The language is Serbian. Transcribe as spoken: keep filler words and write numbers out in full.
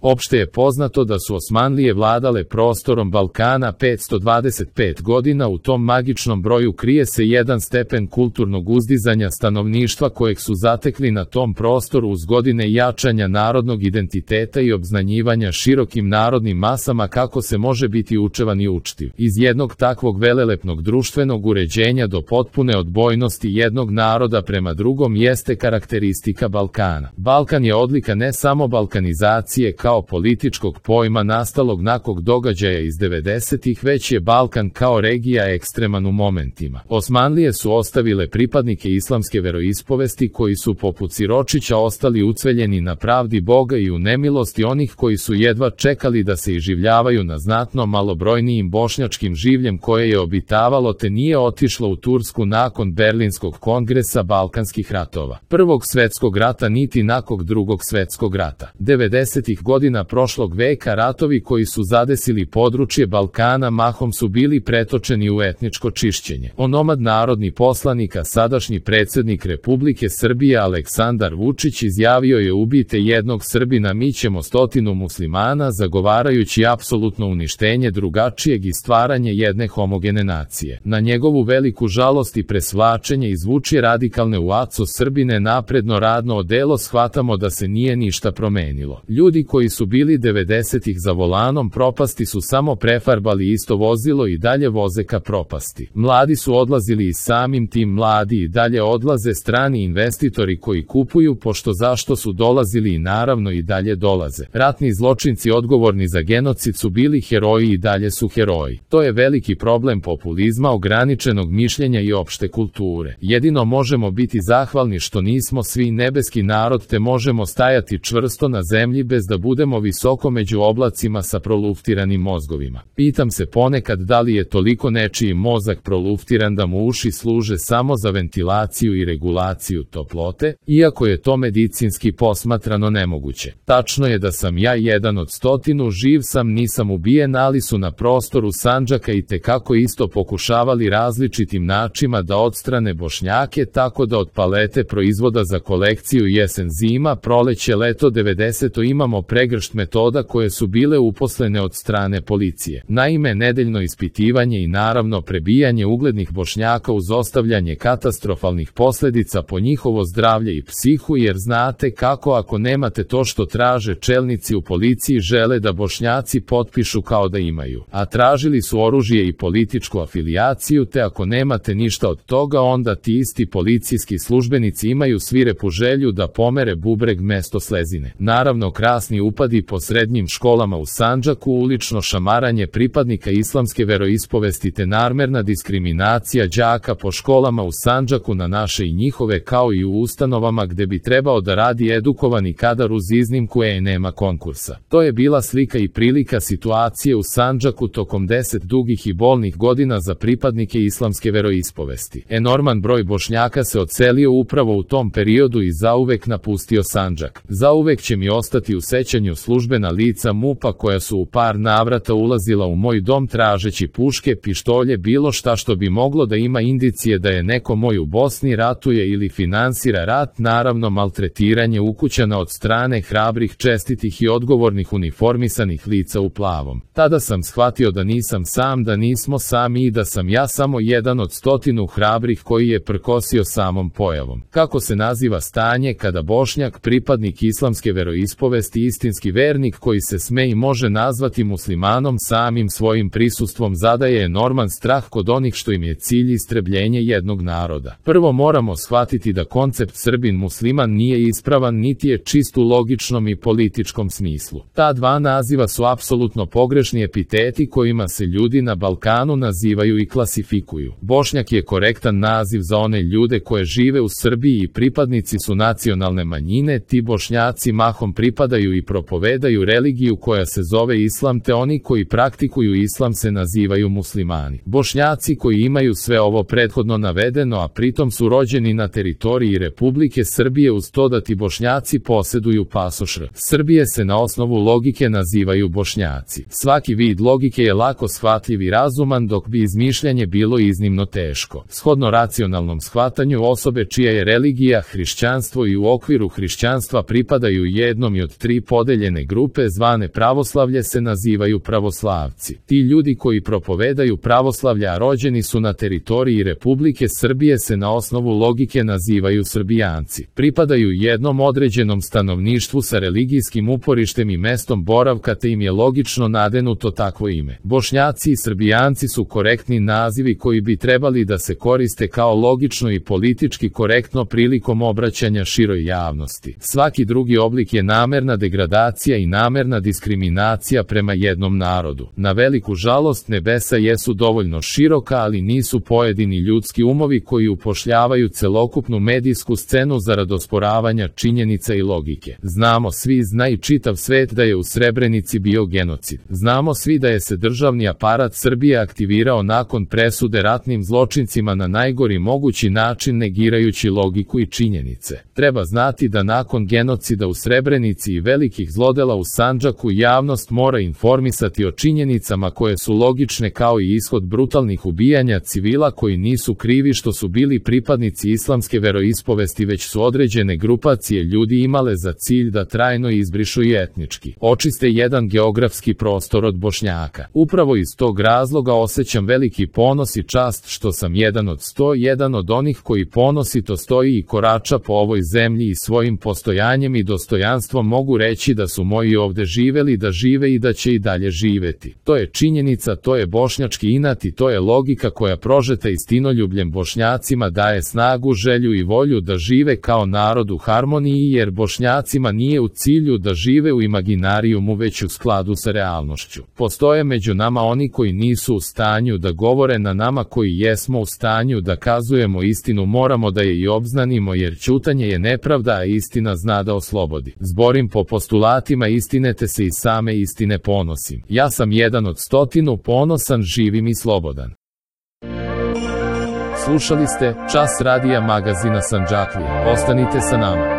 Opšte je poznato da su Osmanlije vladale prostorom Balkana petsto dvadeset pet godina, u tom magičnom broju krije se jedan stepen kulturnog uzdizanja stanovništva kojeg su zatekli na tom prostoru uz godine jačanja narodnog identiteta i obznanjivanja širokim narodnim masama kako se može biti učevan i učtiv. Iz jednog takvog velelepnog društvenog uređenja do potpune odbojnosti jednog naroda prema drugom jeste karakteristika Balkana. Balkan je odlika ne samo balkanizacije kao političkog pojma nastalog nakon događaja iz devedesetih, već je Balkan kao regija ekstreman u momentima. Osmanlije su ostavile pripadnike islamske veroispovesti koji su poput siročića ostali ucveljeni na pravdi Boga i u nemilosti onih koji su jedva čekali da se iživljavaju na znatno malobrojnijim bošnjačkim življem koje je obitavalo te nije otišlo u Tursku nakon Berlinskog kongresa Balkanskih ratova, Prvog svetskog rata niti nakon Drugog svetskog rata. devedesetih godina prošlog veka ratovi koji su zadesili područje Balkana mahom su bili pretočeni u etničko čišćenje. Onomad narodni poslanik, a sadašnji predsjednik Republike Srbije Aleksandar Vučić izjavio je: ubijte jednog Srbina, mi ćemo stotinu muslimana, zagovarajući apsolutno uništenje drugačijeg i stvaranje jedne homogene nacije. Na njegovu veliku žalost i presvlačenje izvuči radikalne u aco Srbine napredno radno odelo shvatamo da se nije ništa promenilo. Ljudi koji su bili devedesetih za volanom propasti su samo prefarbali isto vozilo i dalje voze ka propasti. Mladi su odlazili i samim tim mladi i dalje odlaze, strani investitori koji kupuju pošto zašto su dolazili i naravno i dalje dolaze. Ratni zločinci odgovorni za genocid su bili heroji i dalje su heroji. To je veliki problem populizma, ograničenog mišljenja i opšte kulture. Jedino možemo biti zahvalni što nismo svi nebeski narod te možemo stajati čvrsto na zemlji bez da budemo visoko među oblacima sa proluftiranim mozgovima. Pitam se ponekad da li je toliko nečiji mozak proluftiran da mu uši služe samo za ventilaciju i regulaciju toplote, iako je to medicinski posmatrano nemoguće. Tačno je da sam ja jedan od stotinu, živ sam, nisam ubijen, ali su na prostoru Sandžaka i tekako isto pokušavali različitim načinima da odstrane Bošnjake, tako da od palete proizvoda za kolekciju jesen zima proleće leto devedeseto imamo pregršt metoda koje su bile uposlene od strane policije. Naime, nedeljno ispitivanje i naravno prebijanje uglednih Bošnjaka uz ostavljanje katastrofalnih posljedica po njihovo zdravlje i psihu, jer znate kako ako nemate to što traže čelnici u policiji žele da Bošnjaci potpišu kao da imaju, a tražili su oružje i političku afilijaciju, te ako nemate ništa od toga onda ti isti policijski službenici imaju svirepu želju da pomere bubreg mesto slezine. Naravno, krasni upadi po srednjim školama u Sandžaku, ulično šamaranje pripadnika islamske veroispovesti te namerna diskriminacija đaka po školama u Sandžaku na naše i njihove kao i u ustanovama gde bi trebao da radi edukovani kadar uz iznimku e nema konkursa. To je bila slika i prilika situacije u Sandžaku tokom deset dugih i bolnih godina za pripadnike islamske veroispovesti. Enorman broj Bošnjaka se odselio upravo u tom periodu i zauvek napustio Sandžak. Zauvek će mi ostati u sećanju službena lica MUP-a koja su u par navrata ulazila u moj dom tražeći puške, pištolje, bilo šta što bi moglo da ima indicije da je neko moj u Bosni ratuje ili finansira rat, naravno maltretiranje ukućana od strane hrabrih, čestitih i odgovornih uniformisanih lica u plavom. Tada sam shvatio da nisam sam, da nismo sami i da sam ja samo jedan od stotinu hrabrih koji je prkosio samom pojavom. Kako se naziva stanje kada Bošnjak, pripadnik islamske veroispovesti, istinski vernik koji se sme i može nazvati muslimanom, samim svojim prisustvom zadaje enorman strah kod onih što im je cilj istrebljenje jednog naroda. Prvo moramo shvatiti da koncept Srbin musliman nije ispravan niti je čist u logičnom i političkom smislu. Ta dva naziva su apsolutno pogrešni epiteti kojima se ljudi na Balkanu nazivaju i klasifikuju. Bošnjak je korektan naziv za one ljude koje žive u Srbiji i pripadnici su nacionalne manjine, ti Bošnjaci mahom pripadaju i propovedaju religiju koja se zove islam, te oni koji praktikuju islam se nazivaju muslimani. Bošnjaci koji imaju sve ovo prethodno navedeno, a pritom su rođeni na teritoriji Republike Srbije uz to da ti Bošnjaci poseduju pasoš R. Srbije se na osnovu logike nazivaju Bošnjaci. Svaki vid logike je lako shvatljiv i razuman, dok bi izmišljanje bilo iznimno teško. Shodno racionalnom shvatanju osobe čija je religija hrišćanstvo i u okviru hrišćanstva pripadaju jednom i od tri podeljene podeljene grupe zvane pravoslavlje se nazivaju pravoslavci. Ti ljudi koji propovedaju pravoslavlje, a rođeni su na teritoriji Republike Srbije, se na osnovu logike nazivaju Srbijanci. Pripadaju jednom određenom stanovništvu sa religijskim uporištem i mestom boravka, te im je logično nadenuto takvo ime. Bošnjaci i Srbijanci su korektni nazivi koji bi trebali da se koriste kao logično i politički korektno prilikom obraćanja široj javnosti. Svaki drugi oblik je namerna degradacija i namerna diskriminacija prema jednom narodu. Na veliku žalost, nebesa jesu dovoljno široka, ali nisu pojedini ljudski umovi koji upošljavaju celokupnu medijsku scenu zarad osporavanja činjenica i logike. Znamo svi, zna i čitav svet, da je u Srebrenici bio genocid. Znamo svi da je se državni aparat Srbije aktivirao nakon presude ratnim zločincima na najgori mogući način, negirajući logiku i činjenice. Treba znati da nakon genocida u Srebrenici i velikih zlodela u Sandžaku javnost mora informisati o činjenicama koje su logične, kao i ishod brutalnih ubijanja civila koji nisu krivi što su bili pripadnici islamske veroispovesti, već su određene grupacije ljudi imale za cilj da trajno izbrišu i etnički očiste jedan geografski prostor od Bošnjaka. Upravo iz tog razloga osjećam veliki ponos i čast što sam jedan od sto jedan od onih koji ponosito stoji i korača po ovoj zemlji i svojim postojanjem i dostojanstvom mogu reći da su moji ovde živeli, da žive i da će i dalje živeti. To je činjenica, to je bošnjački inat i to je logika koja prožeta istinoljubljem Bošnjacima daje snagu, želju i volju da žive kao narod u harmoniji, jer Bošnjacima nije u cilju da žive u imaginarijumu, već u skladu sa realnošću. Postoje među nama oni koji nisu u stanju da govore, na nama koji jesmo u stanju da kazujemo istinu moramo da je i obznanimo, jer ćutanje je nepravda, a istina zna da oslobodi. Zborim po postulatima istine, te se i same istine ponosim. Ja sam jedan od stotinu, ponosan, živim i slobodan. Slušali ste Čas radija magazina Sandžaklije. Ostanite sa nama.